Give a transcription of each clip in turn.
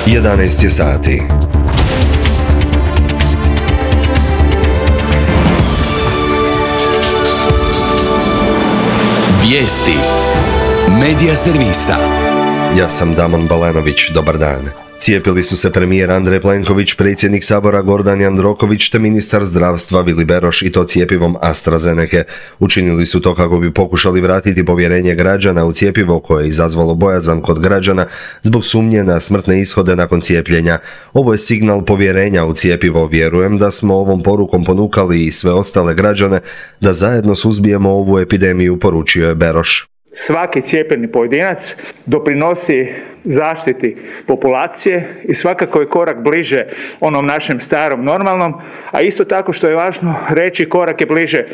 11 je sati. Vijesti Medija servisa. Ja sam Damon Balenović, dobar dan. Cijepili su se premijer Andrej Plenković, predsjednik Sabora Gordan Jandroković te ministar zdravstva Vili Beroš i to cjepivom AstraZenece. Učinili su to kako bi pokušali vratiti povjerenje građana u cjepivo koje je izazvalo bojazan kod građana zbog sumnje na smrtne ishode nakon cijepljenja. Ovo je signal povjerenja u cjepivo. Vjerujem da smo ovom porukom ponukali i sve ostale građane da zajedno suzbijemo ovu epidemiju, poručio je Beroš. Svaki cijepljeni pojedinac doprinosi zaštiti populacije i svakako je korak bliže onom našem starom normalnom, a isto tako što je važno reći, korak je bliže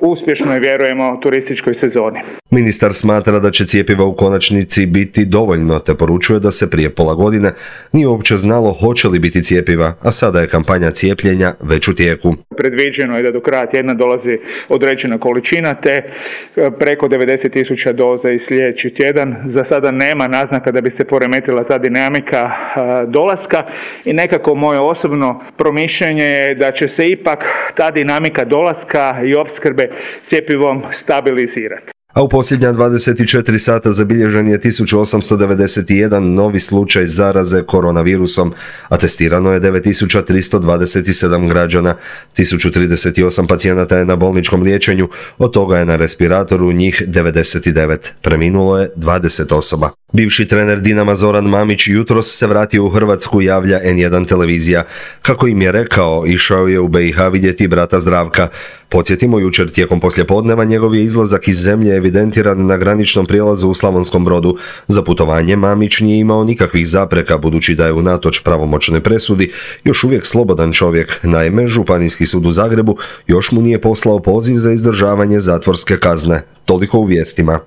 uspješnoj, vjerujemo, turističkoj sezoni. Ministar smatra da će cjepiva u konačnici biti dovoljno, te poručuje da se prije pola godine nije uopće znalo hoće li biti cjepiva, a sada je kampanja cijepljenja već u tijeku. Predviđeno je da do kraja tjedna dolazi određena količina, te preko 90.000 doza i sljedeći tjedan. Za sada nema naznaka da bi se poremetila ta dinamika dolaska i nekako moje osobno promišljanje je da će se ipak ta dinamika dolaska i opskrbe cjepivom stabilizirati. A u posljednja 24 sata zabilježen je 1891 novi slučaj zaraze koronavirusom, a testirano je 9327 građana. 1038 pacijenata je na bolničkom liječenju, od toga je na respiratoru njih 99. Preminulo je 20 osoba. Bivši trener Dinama Zoran Mamić jutros se vratio u Hrvatsku, javlja N1 televizija. Kako im je rekao, išao je u BiH vidjeti brata Zdravka. Podsjetimo, jučer tijekom poslijepodneva njegov je izlazak iz zemlje evidentiran na graničnom prijelazu u Slavonskom Brodu. Za putovanje Mamić nije imao nikakvih zapreka, budući da je unatoč pravomoćnoj presudi još uvijek slobodan čovjek. Naime, Županijski sud u Zagrebu još mu nije poslao poziv za izdržavanje zatvorske kazne. Toliko u vijestima.